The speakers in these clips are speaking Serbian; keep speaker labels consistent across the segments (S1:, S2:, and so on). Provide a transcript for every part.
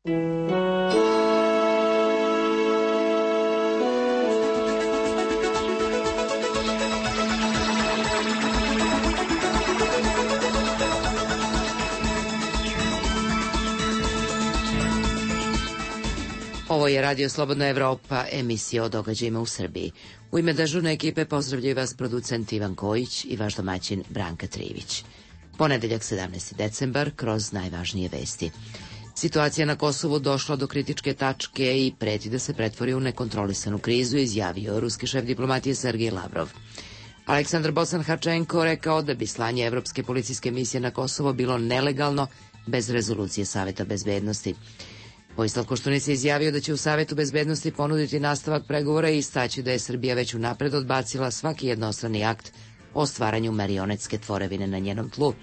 S1: Ovo je Radio Slobodna Evropa, emisija o događajima u Srbiji. U ime dežurne ekipe pozdravljaju vas producent Ivan Kojić i vaš domaćin Branka Trivić. Ponedeljak 17. decembar, kroz najvažnije vesti. Situacija na Kosovu došla do kritičke tačke i preti da se pretvori u nekontrolisanu krizu, izjavio ruski šef diplomatije Sergej Lavrov. Aleksandar Bocan-Harčenko rekao da bi slanje Evropske policijske misije na Kosovo bilo nelegalno bez rezolucije Saveta bezbednosti. Vojislav Koštunica je izjavio da će u Savetu bezbednosti ponuditi nastavak pregovora i istaći da je Srbija već unapred odbacila svaki jednostrani akt o stvaranju marionetske tvorevine na njenom tlu.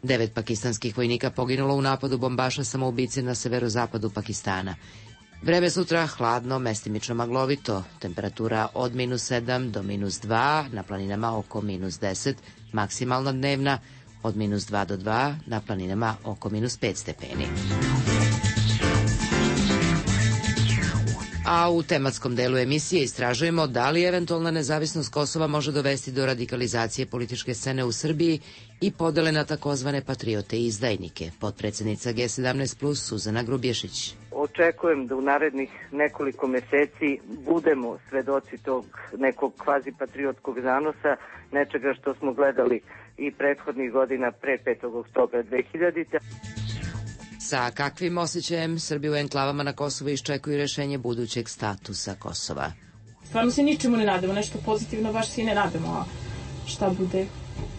S1: 9 pakistanskih vojnika poginulo u napadu bombaša samoubice na severozapadu Pakistana. Vreme sutra hladno, mestimično maglovito, temperatura od -7 do -2, na planinama oko -10, maksimalna dnevna od -2 do 2, na planinama oko -5 stepeni. A u tematskom delu emisije istražujemo da li eventualna nezavisnost Kosova može dovesti do radikalizacije političke scene u Srbiji i podele na takozvane patriote i izdajnike. Potpredsednica G17+, Suzana Grubješić.
S2: Očekujem da u narednih nekoliko meseci budemo svedoci tog nekog kvazi patriotskog zanosa, nečega što smo gledali i prethodnih godina pre 5. oktobra 2000.
S1: Sa kakvim osjećajem Srbi u enklavama na Kosovu iščekuju rešenje budućeg statusa Kosova?
S3: Stvarno se ničemu ne nadamo, nešto pozitivno baš se i ne nadamo, a šta bude,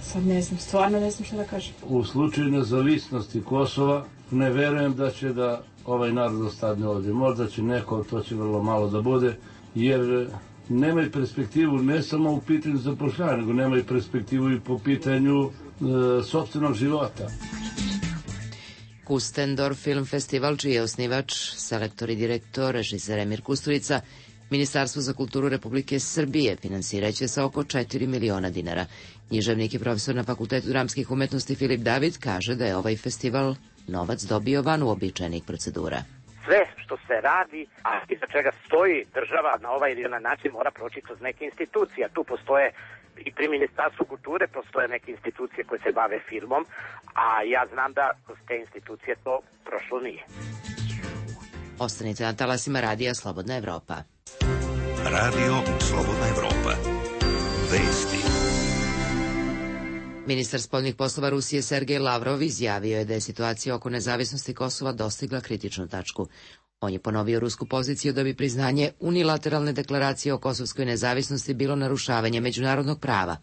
S3: sad ne znam, stvarno ne znam šta da kažem.
S4: U slučaju nezavisnosti Kosova ne verujem da će da ovaj narod ostane ovdje. Možda će neko, to će vrlo malo da bude, jer nemaju perspektivu ne samo u pitanju zapošljavanja, nego nemaju perspektivu i po pitanju sopstvenog života.
S1: Kustendorf Film Festival, čiji je osnivač, selektor i direktor, režiser Emir Kusturica, Ministarstvo za kulturu Republike Srbije finansiraće sa oko 4 miliona dinara. Književnik i profesor na Fakultetu dramskih umetnosti Filip David kaže da je ovaj festival novac dobio van uobičajenih procedura.
S5: Sve što se radi, a iza čega stoji država na ovaj ili onaj način mora proći kroz neke institucije. Tu postoje i pri Ministarstvu kulture postoje neke institucije koje se bave filmom, a ja znam da kroz te institucije to prošlo nije.
S1: Ostanite na talasima Radija Slobodna Evropa.
S6: Radio Slobodna Evropa. Vesti.
S1: Ministar spoljnih poslova Rusije Sergej Lavrov izjavio je da je situacija oko nezavisnosti Kosova dostigla kritičnu tačku. On je ponovio rusku poziciju da bi priznanje unilateralne deklaracije o kosovskoj nezavisnosti bilo narušavanje međunarodnog prava.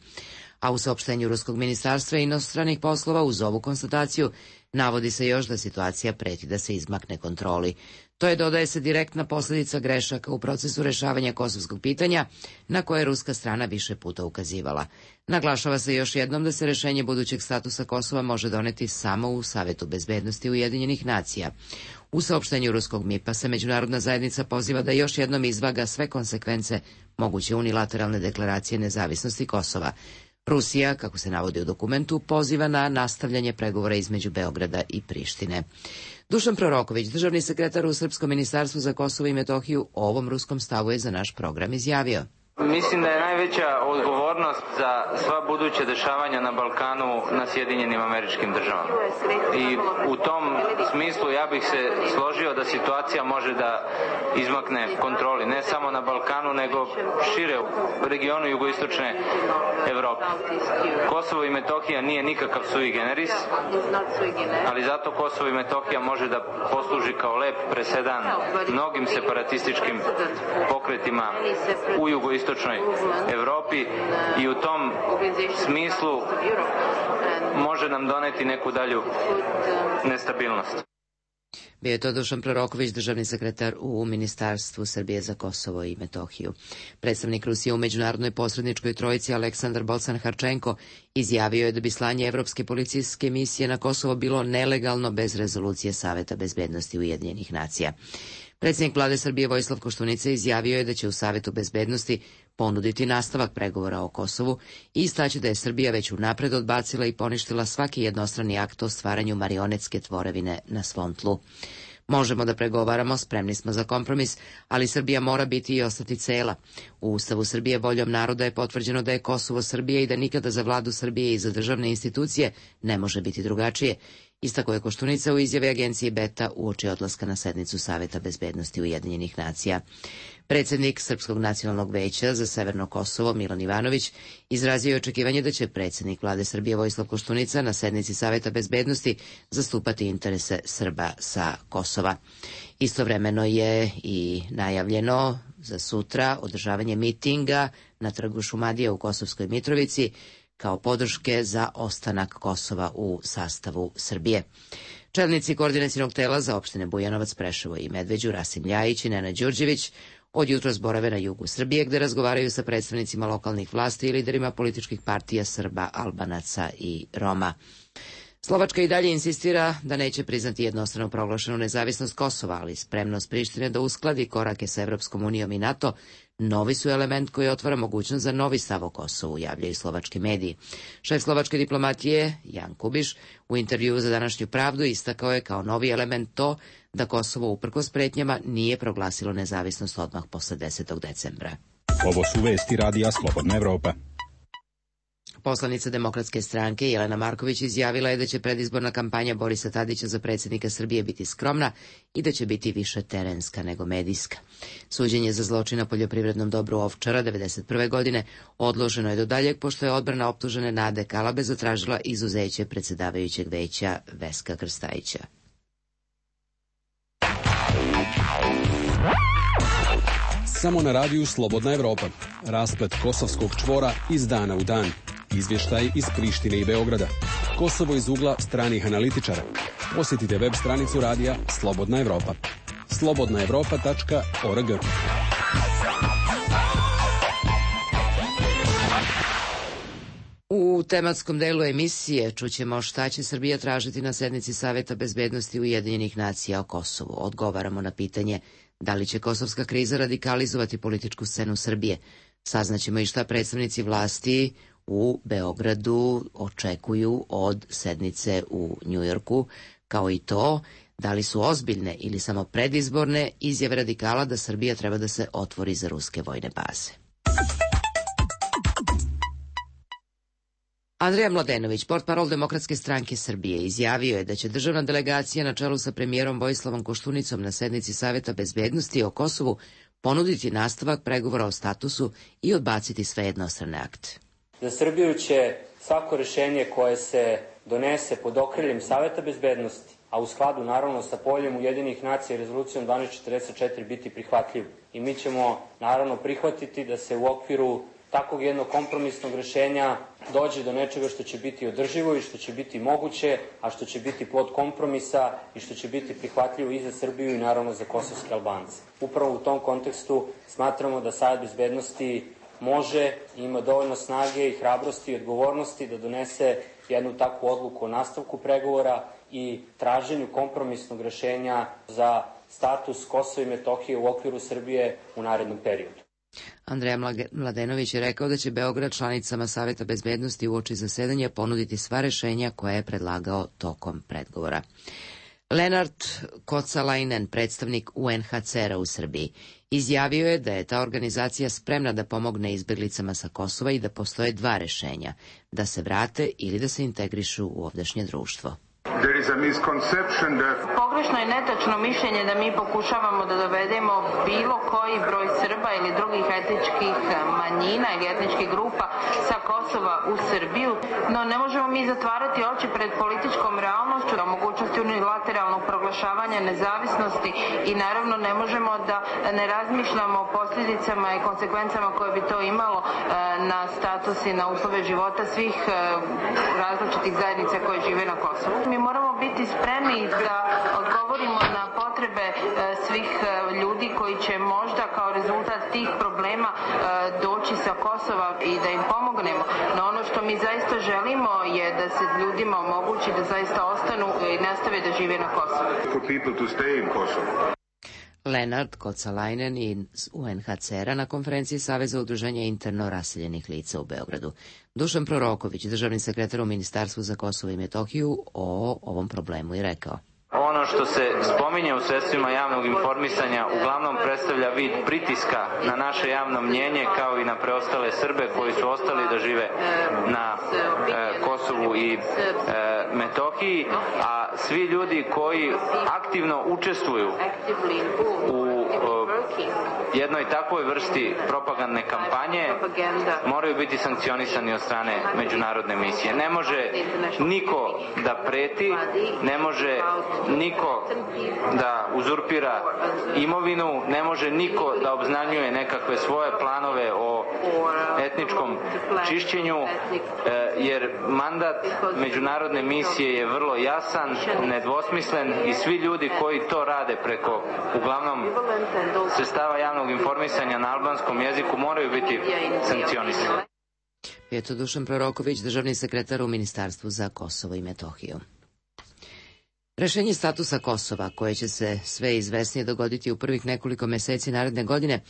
S1: A u saopštenju Ruskog ministarstva inostranih poslova uz ovu konstataciju navodi se još da situacija preti da se izmakne kontroli. To je, dodaje se, direktna posljedica grešaka u procesu rešavanja kosovskog pitanja, na koje je ruska strana više puta ukazivala. Naglašava se još jednom da se rešenje budućeg statusa Kosova može doneti samo u Savetu bezbednosti Ujedinjenih nacija. U saopštenju ruskog MIP-a se međunarodna zajednica poziva da još jednom izvaga sve konsekvence moguće unilateralne deklaracije nezavisnosti Kosova. Rusija, kako se navodi u dokumentu, poziva na nastavljanje pregovora između Beograda i Prištine. Dušan Proroković, državni sekretar u Srpskom ministarstvu za Kosovo i Metohiju, o ovom ruskom stavu je za naš program izjavio.
S7: Mislim da je najveća odgovornost za sva buduća dešavanja na Balkanu na Sjedinjenim Američkim Državama. I u tom smislu ja bih se složio da situacija može da izmakne kontroli, ne samo na Balkanu, nego šire u regionu jugoistočne Evrope. Kosovo i Metohija nije nikakav sui generis, ali zato Kosovo i Metohija može da posluži kao lep presedan mnogim separatističkim pokretima u jugoistočnoj Evropi i u tom smislu može nam doneti neku dalju nestabilnost.
S1: Bio je to Dušan Proroković, državni sekretar u Ministarstvu Srbije za Kosovo i Metohiju. Predstavnik Rusije u međunarodnoj posredničkoj trojici Aleksandar Bocan-Harčenko izjavio je da bi slanje Evropske policijske misije na Kosovo bilo nelegalno bez rezolucije Saveta bezbednosti Ujedinjenih nacija. Predsjednik vlade Srbije Vojislav Koštunica izjavio je da će u Savetu bezbednosti ponuditi nastavak pregovora o Kosovu i istaći da je Srbija već unapred odbacila i poništila svaki jednostrani akt o stvaranju marionetske tvorevine na svom tlu. Možemo da pregovaramo, spremni smo za kompromis, ali Srbija mora biti i ostati cela. U Ustavu Srbije voljom naroda je potvrđeno da je Kosovo Srbije i da nikada za vladu Srbije i za državne institucije ne može biti drugačije. Istako je Koštunica u izjavi agencije Beta uoči odlaska na sednicu Saveta bezbednosti Ujedinjenih nacija. Predsjednik Srpskog nacionalnog veća za Severno Kosovo Milan Ivanović izrazio je očekivanje da će predsjednik vlade Srbije Vojislav Koštunica na sednici Saveta bezbednosti zastupati interese Srba sa Kosova. Istovremeno je i najavljeno za sutra održavanje mitinga na trgu Šumadije u Kosovskoj Mitrovici kao podrške za ostanak Kosova u sastavu Srbije. Čelnici koordinacionog tela za opštine Bujanovac, Preševo i Medveđu, Rasim Ljajić i Nenad Đurđević, od jutros borave na jugu Srbije, gde razgovaraju sa predstavnicima lokalnih vlasti i liderima političkih partija Srba, Albanaca i Roma. Slovačka i dalje insistira da neće priznati jednostrano proglašenu nezavisnost Kosova, ali spremnost Prištine da uskladi korake sa Evropskom unijom i NATO novi su element koji otvara mogućnost za novi stav o Kosovu, javljaju slovački mediji. Šef slovačke diplomatije, Jan Kubiš, u intervjuu za Današnju pravdu istakao je kao novi element to da Kosovo uprkos pretnjama nije proglasilo nezavisnost odmah posle 10. decembra.
S8: Ovo su vesti Radija Slobodna Evropa.
S1: Poslanica Demokratske stranke Jelena Marković izjavila je da će predizborna kampanja Borisa Tadića za predsjednika Srbije biti skromna i da će biti više terenska nego medijska. Suđenje za zločin na poljoprivrednom dobru Ovčara 1991. godine odloženo je do daljeg, pošto je odbrana optužene Nade Kalabe zatražila izuzeće predsjedavajućeg veća Veska Krstajića.
S9: Samo na radiju Slobodna Evropa. Rasplet kosovskog čvora iz dana u dan. Izvještaj iz Prištine i Beograda. Kosovo iz ugla stranih analitičara. Posjetite web stranicu radija Slobodna Evropa. slobodnaevropa.org.
S1: U tematskom delu emisije čućemo šta će Srbija tražiti na sednici Saveta bezbednosti Ujedinjenih nacija o Kosovu. Odgovaramo na pitanje da li će kosovska kriza radikalizovati političku scenu Srbije. Saznaćemo i šta predstavnici vlasti u Beogradu očekuju od sednice u Njujorku, kao i to da li su ozbiljne ili samo predizborne izjave radikala da Srbija treba da se otvori za ruske vojne baze. Andrija Mladenović, portparol Demokratske stranke Srbije, izjavio je da će državna delegacija na čelu sa premijerom Vojislavom Koštunicom na sednici Saveta bezbednosti o Kosovu ponuditi nastavak pregovora o statusu i odbaciti sve jednostrane akte.
S10: Za Srbiju će svako rešenje koje se donese pod okriljem Saveta bezbednosti, a u skladu naravno sa poljem Ujedinjenih nacija i rezolucijom 1244 biti prihvatljivo. I mi ćemo naravno prihvatiti da se u okviru takvog jednog kompromisnog rešenja dođe do nečega što će biti održivo i što će biti moguće, a što će biti plod kompromisa i što će biti prihvatljivo i za Srbiju i naravno za kosovske Albance. Upravo u tom kontekstu smatramo da Savet bezbednosti može i ima dovoljno snage i hrabrosti i odgovornosti da donese jednu takvu odluku o nastavku pregovora i traženju kompromisnog rešenja za status Kosova i Metohije u okviru Srbije u narednom periodu.
S1: Andreja Mladenović je rekao da će Beograd članicama Saveta bezbednosti uoči zasedanja ponuditi sva rešenja koje je predlagao tokom pregovora. Lenard Kocalainen, predstavnik UNHCR-a u Srbiji, izjavio je da je ta organizacija spremna da pomogne izbeglicama sa Kosova i da postoje dva rešenja, da se vrate ili da se integrišu u ovdašnje društvo.
S11: Pogrešno je netačno mišljenje da mi pokušavamo da dovedemo bilo koji broj Srba ili drugih etničkih manjina ili etničkih grupa sa Kosova u Srbiju, no ne možemo mi zatvarati oči pred političkom realnošću, o mogućnosti unilateralnog proglašavanja nezavisnosti i naravno ne možemo da ne razmišljamo o posljedicama i konsekvencama koje bi to imalo na status i na uslove života svih različitih zajednica koje žive na Kosovu. Mi moramo biti spremni da odgovorimo na potrebe svih ljudi koji će možda kao rezultat tih problema doći sa Kosova i da im pomognemo. No ono što mi zaista želimo je da se ljudima omogući da zaista ostanu i nastave da žive na Kosovu.
S1: Lenard Kocalainen iz UNHCR-a na konferenciji Saveza udruženja interno raseljenih lica u Beogradu. Dušan Proroković, državni sekretar u Ministarstvu za Kosovo i Metohiju, o ovom problemu i rekao.
S12: Ono
S7: ono što se spominje u sredstvima javnog informisanja uglavnom predstavlja vid pritiska na naše javno mnjenje kao i na preostale Srbe koji su ostali da žive na Kosovu i Metohiji, a svi ljudi koji aktivno učestvuju u jednoj takvoj vrsti propagandne kampanje moraju biti sankcionisani od strane međunarodne misije. Ne može niko da preti, ne može niko da uzurpira imovinu, ne može niko da obznanjuje nekakve svoje planove o etničkom čišćenju, jer mandat međunarodne misije je vrlo jasan, nedvosmislen i svi ljudi koji to rade preko uglavnom sredstava javnog informisanja na albanskom jeziku moraju biti sankcionisani.
S1: Eto Dušan Proroković, državni sekretar u Ministarstvu za Kosovo i Metohiju. Rešenje statusa Kosova, koje će se sve izvesnije dogoditi u prvih nekoliko meseci naredne godine,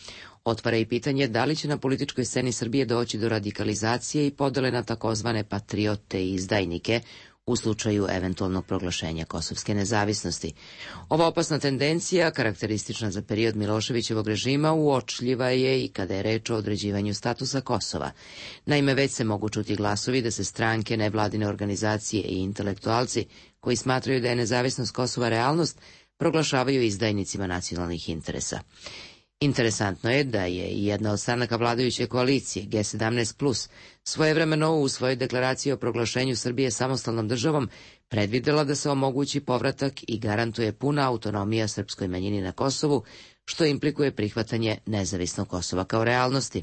S1: otvara i pitanje da li će na političkoj sceni Srbije doći do radikalizacije i podele na takozvane patriote i izdajnike u slučaju eventualnog proglašenja kosovske nezavisnosti. Ova opasna tendencija, karakteristična za period Miloševićevog režima, uočljiva je i kada je reč o određivanju statusa Kosova. Naime, već se mogu čuti glasovi da se stranke, nevladine organizacije i intelektualci koji smatraju da je nezavisnost Kosova realnost, proglašavaju izdajnicima nacionalnih interesa. Interesantno je da je i jedna od stranaka vladajuće koalicije, G17+, svojevremeno u svojoj deklaraciji o proglašenju Srbije samostalnom državom predvidela da se omogući povratak i garantuje puna autonomija srpskoj manjini na Kosovu, što implikuje prihvatanje nezavisnog Kosova kao realnosti.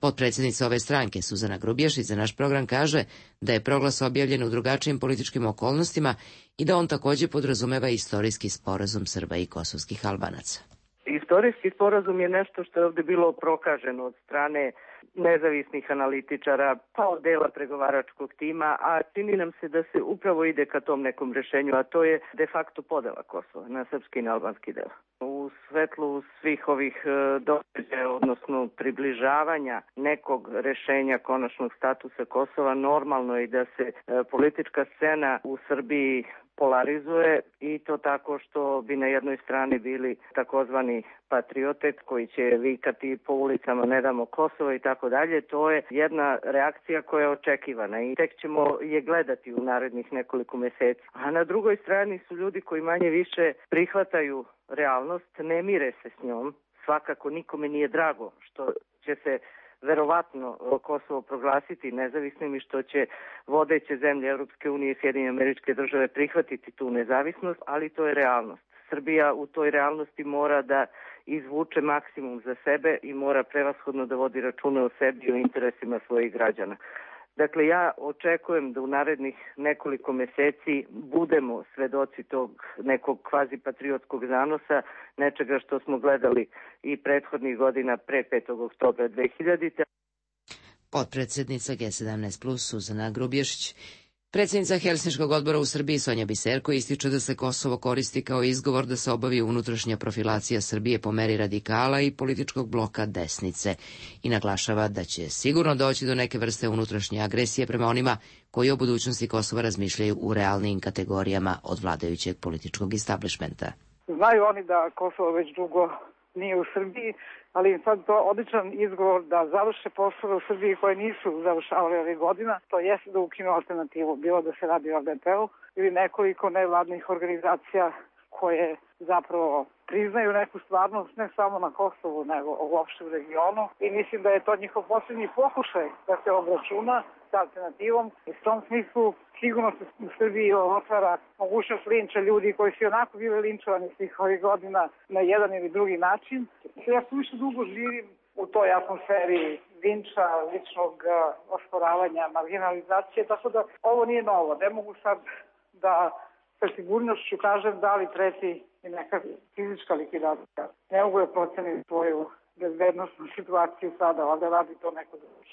S1: Potpredsjednica ove stranke, Suzana Grubješić, za naš program kaže da je proglas objavljen u drugačijim političkim okolnostima i da on također podrazumeva istorijski sporazum Srba i kosovskih Albanaca.
S2: Istorijski sporazum je nešto što je ovdje bilo prokaženo od strane nezavisnih analitičara, pa od dela pregovaračkog tima, a čini nam se da se upravo ide ka tom nekom rešenju, a to je de facto podela Kosova na srpski i na albanski deo. U svetlu svih ovih događaja, odnosno približavanja nekog rešenja konačnog statusa Kosova, normalno je da se politička scena u Srbiji polarizuje i to tako što bi na jednoj strani bili takozvani patriote koji će vikati po ulicama ne damo Kosovo i tako dalje. To je jedna reakcija koja je očekivana i tek ćemo je gledati u narednih nekoliko meseci. A na drugoj strani su ljudi koji manje više prihvataju realnost, ne mire se s njom. Svakako nikome nije drago što će se verovatno Kosovo proglasiti nezavisnim i što će vodeće zemlje Europske unije i Sjedinjene Američke Države prihvatiti tu nezavisnost, ali to je realnost. Srbija u toj realnosti mora da izvuče maksimum za sebe i mora prevashodno da vodi račune o sebi i o interesima svojih građana. Dakle, ja očekujem da u narednih nekoliko meseci budemo svedoci tog nekog kvazi patriotskog zanosa, nečega što smo gledali i prethodnih godina pre 5. oktobra 2000.
S1: Potpredsjednica G17+, Suzana Grubješić. Predsjednica Helsinškog odbora u Srbiji, Sonja Biserko, ističe da se Kosovo koristi kao izgovor da se obavi unutrašnja profilacija Srbije po meri radikala i političkog bloka desnice i naglašava da će sigurno doći do neke vrste unutrašnje agresije prema onima koji o budućnosti Kosova razmišljaju u realnim kategorijama od vladajućeg političkog establishmenta.
S12: Znaju oni da Kosovo već dugo nije u Srbiji, ali im sad to odličan izgovor da završe poslove u Srbiji koje nisu završavali ovih godina, to jeste da ukinu alternativu, bilo da se radi o LDP-u ili nekoliko nevladnih organizacija koje zapravo priznaju neku stvarnost ne samo na Kosovu, nego uopšte u regionu i mislim da je to njihov posljednji pokušaj da se obračuna sa alternativom i u tom smislu sigurno se u Srbiji otvara mogućnost linča ljudi koji su onako bili linčovani svih ovih godina na jedan ili drugi način. Ja su više dugo živim u toj atmosferi linča, ličnog osporavanja, marginalizacije, tako da ovo nije novo. Ne mogu sad da sa sigurnošću kažem da li preti i neka fizička likvidacija. Ne mogu da procenim svoju bezbednostnu situaciju sada, ali da radi to neko drugi.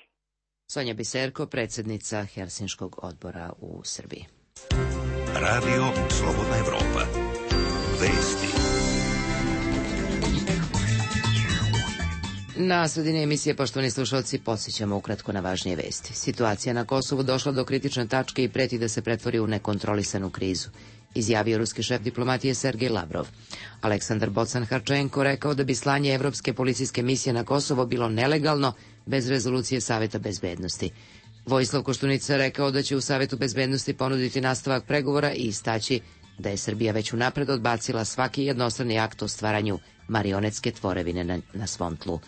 S1: Sonja Biserko, predsjednica Helsinškog odbora u Srbiji.
S6: Radio Slobodna Evropa. Vesti.
S1: Na sredini emisije, poštovani slušalci, podsjećamo ukratko na važnije vesti. Situacija na Kosovu došla do kritične tačke i preti da se pretvori u nekontrolisanu krizu. izjavio ruski šef diplomatije Sergej Lavrov. Aleksandar Bocan-Harčenko rekao da bi slanje evropske policijske misije na Kosovo bilo nelegalno bez rezolucije Saveta bezbednosti. Vojislav Koštunica rekao da će u Savetu bezbednosti ponuditi nastavak pregovora i istaći da je Srbija već unapred odbacila svaki jednostrani akt o stvaranju marionetske tvorevine na svom tlu.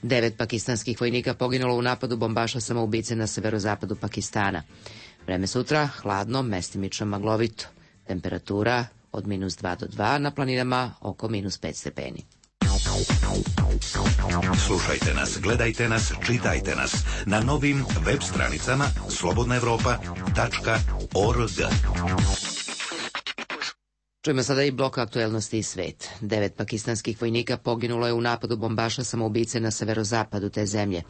S1: 9 pakistanskih vojnika poginulo u napadu bombaša samoubice na severozapadu Pakistana. Vreme sutra hladno, mestimično maglovito. Temperatura od -2 do 2, na planinama oko -5 stepeni.
S6: Slušajte nas, gledajte nas, čitajte nas na novim web stranicama slobodnaevropa.org.
S1: Čujemo sada i blok aktuelnosti i svet. 9 pakistanskih vojnika poginulo je u napadu bombaša samoubice na severozapadu te zemlje.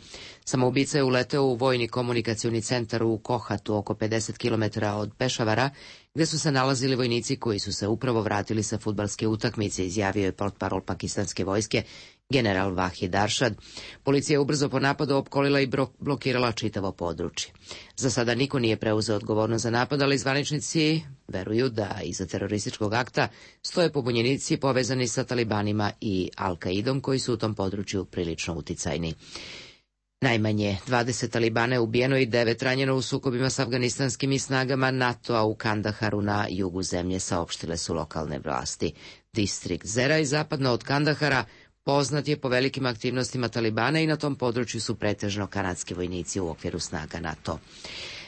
S1: Samoubica je uleteo u vojni komunikacioni centar u Kohatu, oko 50 km od Pešavara, gde su se nalazili vojnici koji su se upravo vratili sa fudbalske utakmice, izjavio je portparol pakistanske vojske general Vahid Arshad. Policija je ubrzo po napadu opkolila i blokirala čitavo područje. Za sada niko nije preuzeo odgovornost za napad, ali zvaničnici veruju da iza terorističkog akta stoje pobunjenici povezani sa talibanima i Al-Kaidom, koji su u tom području prilično uticajni. Najmanje 20 talibana je ubijeno i 9 ranjeno u sukobima s afganistanskim snagama NATO-a u Kandaharu na jugu zemlje, saopštile su lokalne vlasti. Distrikt Zeraj, zapadno od Kandahara, poznat je po velikim aktivnostima talibana i na tom području su pretežno kanadski vojnici u okviru snaga NATO.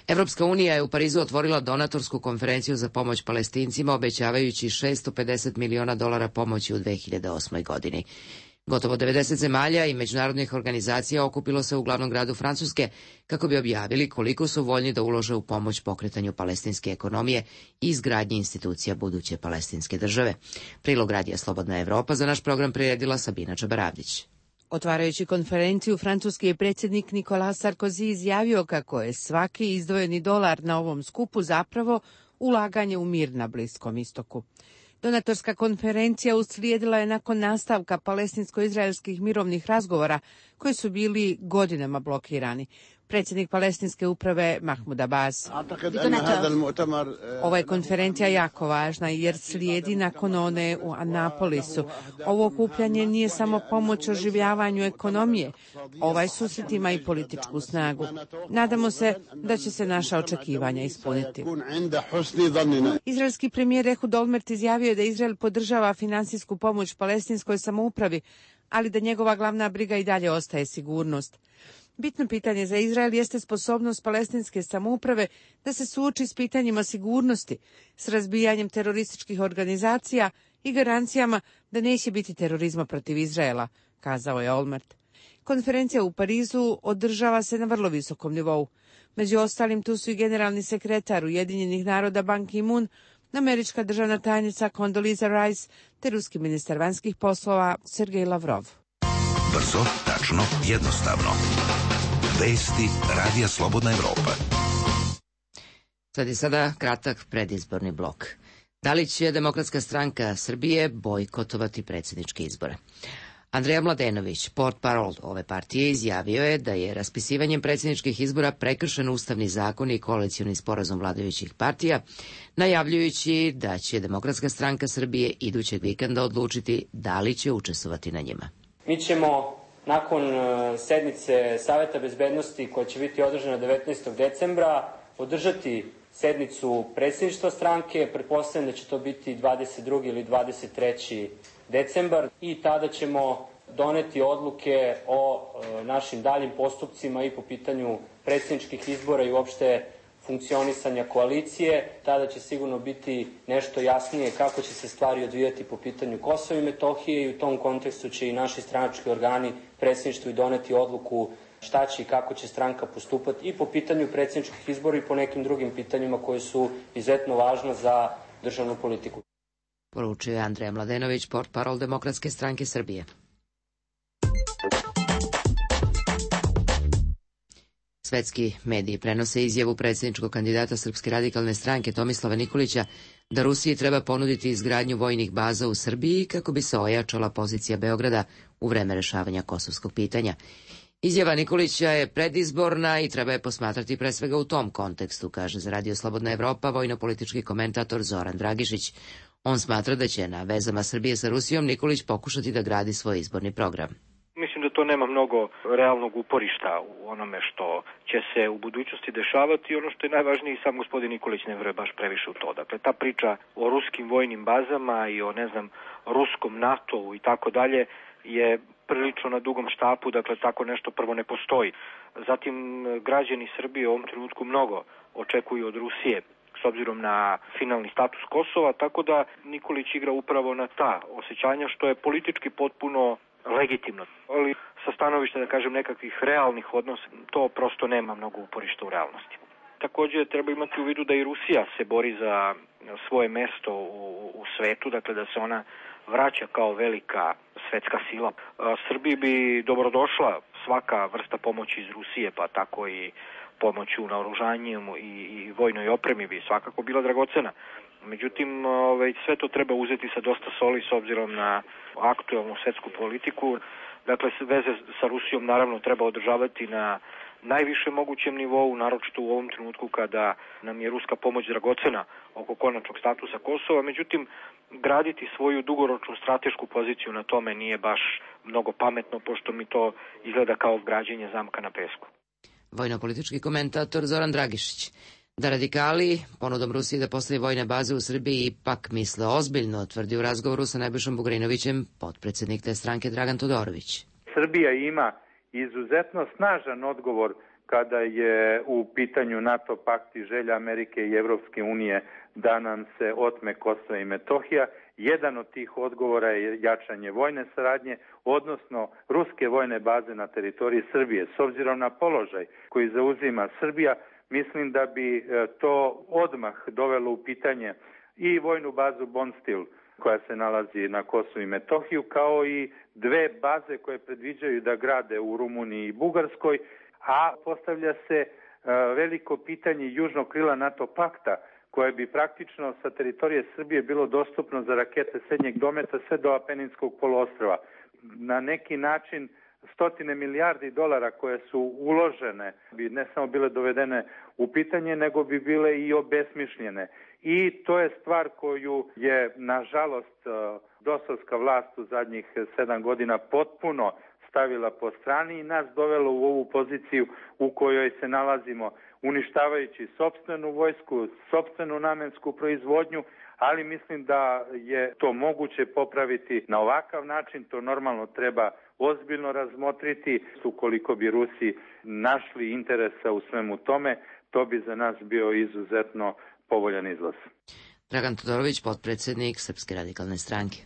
S1: Evropska unija je u Parizu otvorila donatorsku konferenciju za pomoć Palestincima, obećavajući $650 miliona pomoći u 2008. godini. Gotovo 90 zemalja i međunarodnih organizacija okupilo se u glavnom gradu Francuske kako bi objavili koliko su voljni da ulože u pomoć pokretanju palestinske ekonomije i izgradnji institucija buduće palestinske države. Prilog radija Slobodna Evropa za naš program priredila Sabina Čabaravdić.
S13: Otvarajući konferenciju, francuski je predsjednik Nicolas Sarkozy izjavio kako je svaki izdvojeni dolar na ovom skupu zapravo ulaganje u mir na Bliskom istoku. Donatorska konferencija uslijedila je nakon nastavka palestinsko-izraelskih mirovnih razgovora koji su bili godinama blokirani. Predsjednik palestinske uprave Mahmud Abbas. Ova je konferencija jako važna jer slijedi nakon one u Anapolisu. Ovo okupljanje nije samo pomoć oživljavanju ekonomije. Ovaj susret ima i političku snagu. Nadamo se da će se naša očekivanja ispuniti. Izraelski premijer Ehud Olmert izjavio je da Izrael podržava finansijsku pomoć palestinskoj samoupravi, ali da njegova glavna briga i dalje ostaje sigurnost. Bitno pitanje za Izrael jeste sposobnost palestinske samouprave da se suoči s pitanjima sigurnosti, s razbijanjem terorističkih organizacija i garancijama da neće biti terorizma protiv Izraela, kazao je Olmert. Konferencija u Parizu održava se na vrlo visokom nivou. Među ostalim tu su i generalni sekretar Ujedinjenih naroda Ban Ki-moon, američka državna tajnica Condoleezza Rice te ruski ministar vanjskih poslova Sergej Lavrov.
S6: Brzo, tačno, jednostavno. Vesti Radija Slobodna Evropa.
S1: Sad je sada kratak predizborni blok. Da li će Demokratska stranka Srbije bojkotovati predsjedničke izbore? Andreja Mladenović, portparol ove partije, izjavio je da je raspisivanjem predsjedničkih izbora prekršen ustavni zakon i koalicioni sporazum vladajućih partija, najavljujući da će Demokratska stranka Srbije idućeg vikenda odlučiti da li će učestvovati na njima.
S10: Mi ćemo nakon sednice Saveta bezbednosti koja će biti održana 19. decembra održati sednicu predsjedništva stranke, pretpostavljam da će to biti 22. ili 23. decembar i tada ćemo doneti odluke o našim daljim postupcima i po pitanju predsjedničkih izbora i uopšte funkcionisanja koalicije. Tada će sigurno biti nešto jasnije kako će se stvari odvijati po pitanju Kosova i Metohije i u tom kontekstu će i naši stranački organi predsjedništvu i doneti odluku šta će i kako će stranka postupati i po pitanju predsjedničkih izbora i po nekim drugim pitanjima koje su izuzetno važna za državnu politiku.
S1: Poručio je Andreja Mladenović, portparol Demokratske stranke Srbije. Svetski mediji prenose izjavu predsjedničkog kandidata Srpske radikalne stranke Tomislava Nikolića da Rusiji treba ponuditi izgradnju vojnih baza u Srbiji kako bi se ojačala pozicija Beograda u vreme rešavanja kosovskog pitanja. Izjava Nikolića je predizborna i treba je posmatrati pre svega u tom kontekstu, kaže za Radio Slobodna Evropa vojno-politički komentator Zoran Dragišić. On smatra da će na vezama Srbije sa Rusijom Nikolić pokušati da gradi svoj izborni program.
S14: Mislim da to nema mnogo realnog uporišta u onome što će se u budućnosti dešavati i ono što je najvažnije, sam gospodin Nikolić ne veruje baš previše u to. Dakle, ta priča o ruskim vojnim bazama i o, ruskom NATO-u i tako dalje je prilično na dugom štapu, dakle tako nešto prvo ne postoji. Zatim, građani Srbije u ovom trenutku mnogo očekuju od Rusije s obzirom na finalni status Kosova, tako da Nikolić igra upravo na ta osjećanja, što je politički potpuno legitimno. Ali sa stanovišta, da kažem, nekakvih realnih odnosa, to prosto nema mnogo uporišta u realnosti. Također treba imati u vidu da i Rusija se bori za svoje mesto u svetu, dakle da se ona vraća kao velika svetska sila. Srbiji bi dobrodošla svaka vrsta pomoći iz Rusije, pa tako i pomoć u naoružanju i vojnoj opremi bi svakako bila dragocena. Međutim, sve to treba uzeti sa dosta soli s obzirom na aktualnu svetsku politiku. Dakle, veze sa Rusijom naravno treba održavati na najvišem mogućem nivou, naročito u ovom trenutku kada nam je ruska pomoć dragocena oko konačnog statusa Kosova. Međutim, graditi svoju dugoročnu stratešku poziciju na tome nije baš mnogo pametno, pošto mi to izgleda kao građenje zamka na pesku.
S1: Vojno-politički komentator Zoran Dragišić. Da radikali ponudom Rusije da postavi vojne baze u Srbiji ipak misle ozbiljno, tvrdi u razgovoru sa Nebojšom Bugrinovićem potpredsjednik te stranke Dragan Todorović.
S15: Srbija ima izuzetno snažan odgovor kada je u pitanju NATO pakt i želja Amerike i Evropske unije da nam se otme Kosovo i Metohija. Jedan od tih odgovora je jačanje vojne saradnje, odnosno ruske vojne baze na teritoriji Srbije. S obzirom na položaj koji zauzima Srbija, mislim da bi to odmah dovelo u pitanje i vojnu bazu Bonstil koja se nalazi na Kosovu i Metohiju, kao i dve baze koje predviđaju da grade u Rumuniji i Bugarskoj, a postavlja se veliko pitanje južnog krila NATO pakta, koje bi praktično sa teritorije Srbije bilo dostupno za rakete srednjeg dometa sve do Apeninskog poluostrva. Na neki način stotine milijardi dolara koje su uložene bi ne samo bile dovedene u pitanje, nego bi bile i obesmišljene. I to je stvar koju je, nažalost, dosovska vlast u zadnjih 7 godina potpuno stavila po strani i nas dovelo u ovu poziciju u kojoj se nalazimo, uništavajući sopstvenu vojsku, sopstvenu namensku proizvodnju, ali mislim da je to moguće popraviti na ovakav način. To normalno treba ozbiljno razmotriti. Ukoliko bi Rusi našli interesa u svemu tome, to bi za nas bio izuzetno povoljan izlaz.
S1: Dragan Todorović, potpredsjednik Srpske radikalne stranke.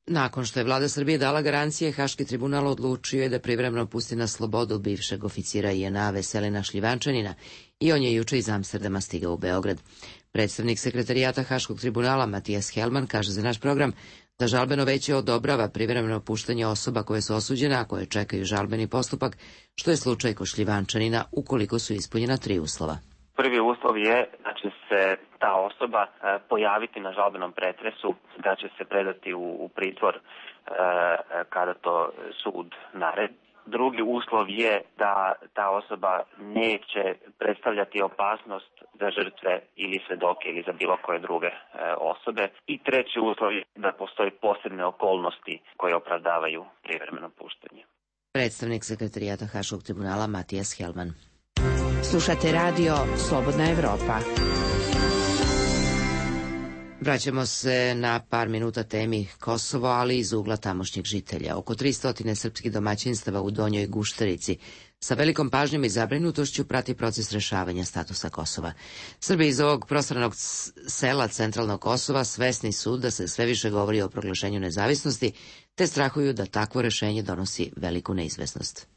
S1: Nakon što je vlada Srbije dala garancije, Haški tribunal odlučio je da privremeno pusti na slobodu bivšeg oficira JNA Veselina Šljivančanina i on je juče iz Amsterdama stigao u Beograd. Predstavnik sekretarijata Haškog tribunala Matijas Helman kaže za naš program da žalbeno veće odobrava privremeno puštanje osoba koje su osuđene, a koje čekaju žalbeni postupak, što je slučaj kod Šljivančanina ukoliko su ispunjena 3 uslova.
S16: Prvi uslov je da će se ta osoba pojaviti na žalbenom pretresu, da će se predati u pritvor kada to sud naredi. Drugi uslov je da ta osoba neće predstavljati opasnost za žrtve ili svedoke ili za bilo koje druge osobe. I treći uslov je da postoje posebne okolnosti koje opravdavaju privremeno puštanje.
S1: Predstavnik sekretarijata Haškog tribunala Matijas Helman.
S13: Slušate radio Slobodna Evropa.
S1: Vraćamo se na par minuta temi Kosovo, ali iz ugla tamošnjeg žitelja. Oko 300 srpskih domaćinstava u Donjoj Gušterici sa velikom pažnjom i zabrinutošću prati proces rešavanja statusa Kosova. Srbi iz ovog prostranog sela centralnog Kosova svesni su da se sve više govori o proglašenju nezavisnosti, te strahuju da takvo rešenje donosi veliku neizvesnost.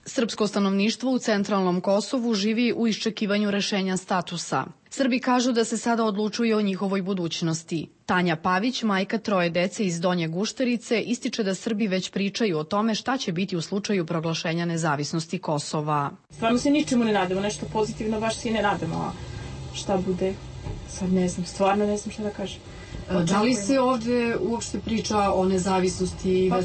S17: Srpsko stanovništvo u centralnom Kosovu živi u iščekivanju rešenja statusa. Srbi kažu da se sada odlučuje o njihovoj budućnosti. Tanja Pavić, majka 3 dece iz Donje Gušterice, ističe da Srbi već pričaju o tome šta će biti u slučaju proglašenja nezavisnosti Kosova.
S3: Stvarno se ničemu ne nadamo, nešto pozitivno baš se i ne nadamo, a šta bude, sad ne znam, stvarno ne znam šta da kažem.
S17: Da li se ovde uopšte priča o nezavisnosti?
S3: Pa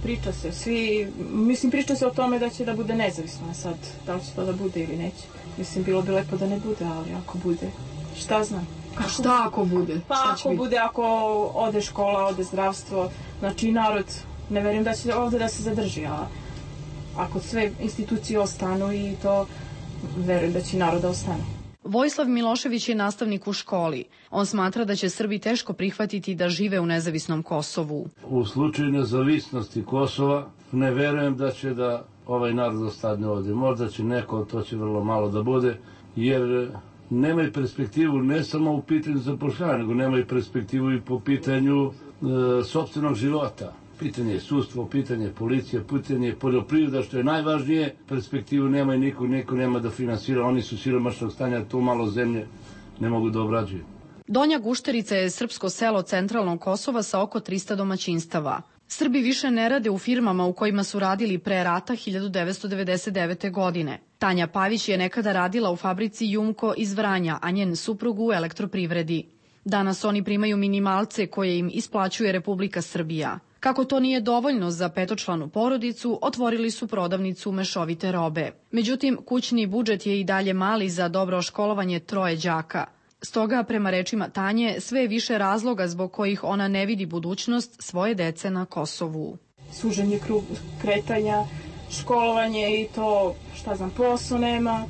S3: priča se. Svi, mislim, priča se o tome da će da bude nezavisno, a sad, da li će to da bude ili neće. Mislim, bilo bi lepo da ne bude, ali ako bude, šta znam.
S17: A šta ako bude?
S3: Pa ako bude, ako ode škola, ode zdravstvo, znači narod, ne verujem da će ovde da se zadrži, a ako sve institucije ostanu i to, verujem da će narod da ostane.
S17: Vojislav Milošević je nastavnik u školi. On smatra da će Srbi teško prihvatiti da žive u nezavisnom Kosovu.
S4: U slučaju nezavisnosti Kosova ne verujem da će da ovaj narod ostane ovdje. Možda će neko, to će vrlo malo da bude, jer nemaju perspektivu ne samo u pitanju zapošljavanja, nego nemaju perspektivu i po pitanju sopstvenog života. Pitanje je sudstvo, pitanje je policija, pitanje je poljoprivreda, što je najvažnije. Perspektivu nema i niko nema da finansira. Oni su siromašnog stanja, tu malo zemlje ne mogu da obrađuju.
S17: Donja Gušterica je srpsko selo centralnog Kosova sa oko 300 domaćinstava. Srbi više ne rade u firmama u kojima su radili pre rata 1999. godine. Tanja Pavić je nekada radila u fabrici Jumko iz Vranja, a njen suprug u elektroprivredi. Danas oni primaju minimalce koje im isplaćuje Republika Srbija. Kako to nije dovoljno za petočlanu porodicu, otvorili su prodavnicu mešovite robe. Međutim, kućni budžet je i dalje mali za dobro školovanje 3 đaka. Stoga, prema rečima Tanje, sve je više razloga zbog kojih ona ne vidi budućnost svoje dece na Kosovu.
S3: Suženje kretanja, školovanje i to, šta znam, posao nema,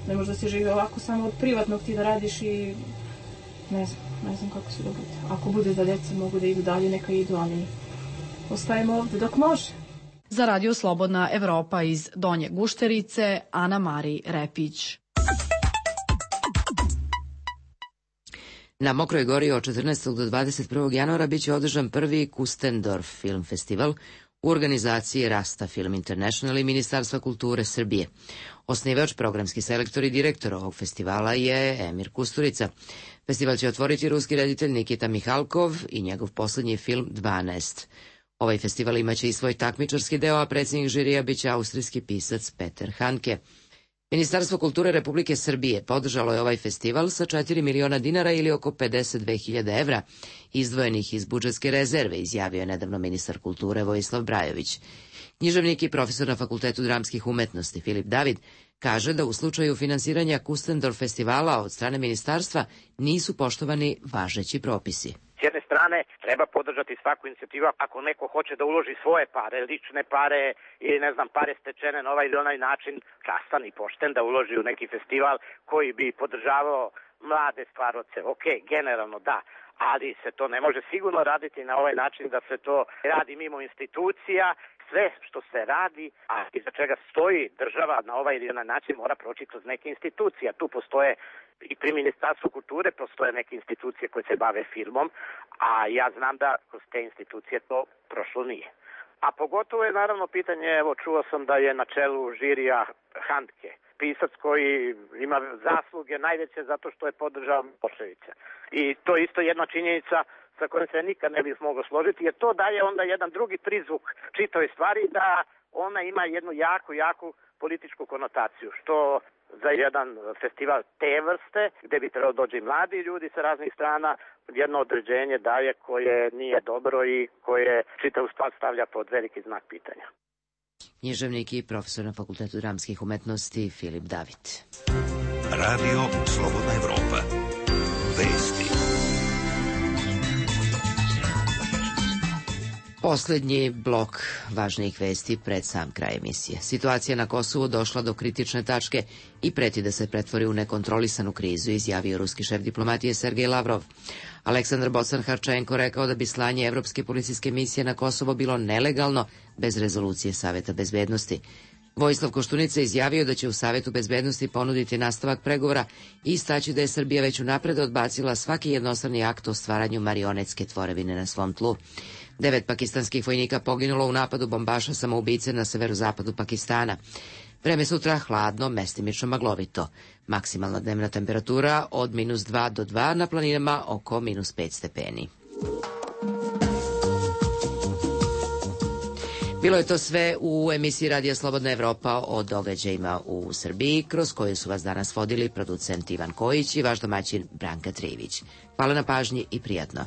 S3: ne može da se živi ovako samo od privatnog ti da radiš i ne znam kako se da bude. Ako bude da deca mogu da idu dalje, neka idu, ali ostajemo ovde dok može.
S17: Za Radio Slobodna Evropa iz Donje Gušterice, Ana Mari Repić.
S1: Na Mokroj Gori od 14. do 21. januara biće održan prvi Kustendorf film festival u organizaciji Rasta Film International i Ministarstva kulture Srbije. Osnivač, programski selektor i direktor ovog festivala je Emir Kusturica. Festival će otvoriti ruski reditelj Nikita Mihalkov i njegov poslednji film 12. Ovaj festival imaće i svoj takmičarski deo, a predsjednik žirija biće austrijski pisac Peter Hanke. Ministarstvo kulture Republike Srbije podržalo je ovaj festival sa 4 miliona dinara ili oko 52.000 evra, izdvojenih iz budžetske rezerve, izjavio je nedavno ministar kulture Vojislav Brajović. Književnik i profesor na Fakultetu dramskih umetnosti Filip David kaže da u slučaju finansiranja Kustendorf festivala od strane ministarstva nisu poštovani važeći propisi.
S5: S jedne strane treba podržati svaku inicijativu ako neko hoće da uloži svoje pare, lične pare ili ne znam pare stečene na ovaj ili onaj način, častan i pošten da uloži u neki festival koji bi podržavao mlade stvarce. Ok, generalno da, ali se to ne može sigurno raditi na ovaj način da se to radi mimo institucija. Sve što se radi, a iza čega stoji država na ovaj ili onaj način mora proći kroz neke institucije. Tu postoje i pri Ministarstvu kulture postoje neke institucije koje se bave filmom, a ja znam da kroz te institucije to prošlo nije. A pogotovo je naravno pitanje, evo čuo sam da je na čelu žirija Handke, pisac koji ima zasluge najveće zato što je podržao Miloševića. I to je isto jedna činjenica sa kojom se nikad ne bih mogao složiti, jer to daje onda jedan drugi prizvuk čitoj stvari da ona ima jednu jaku političku konotaciju, što za jedan festival te vrste, gde bi trebalo dođe i mladi ljudi sa raznih strana, jedno određenje daje koje nije dobro i koje čitavu stvar stavlja pod veliki znak pitanja.
S1: Književnik i profesor na Fakultetu dramskih umetnosti Filip David.
S6: Radio Slobodna Evropa. Vesti.
S1: Poslednji blok važnijih vesti pred sam kraj emisije. Situacija na Kosovu došla do kritične tačke i preti da se pretvori u nekontrolisanu krizu, izjavio ruski šef diplomatije Sergej Lavrov. Aleksandar Bocan-Harčenko rekao da bi slanje evropske policijske misije na Kosovo bilo nelegalno bez rezolucije Saveta bezbednosti. Vojislav Koštunica izjavio da će u Savetu bezbednosti ponuditi nastavak pregovora i istaći da je Srbija već unapred odbacila svaki jednostrani akt o stvaranju marionetske tvorevine na svom tlu. 9 pakistanskih vojnika poginulo u napadu bombaša samoubice na severozapadu Pakistana. Vreme sutra hladno, mestimično maglovito. Maksimalna dnevna temperatura od -2 do 2, na planinama oko -5 stepeni. Bilo je to sve u emisiji Radija Slobodna Evropa o događajima u Srbiji, kroz koju su vas danas vodili producent Ivan Kojić i vaš domaćin Branka Trivić. Hvala na pažnji i prijatno.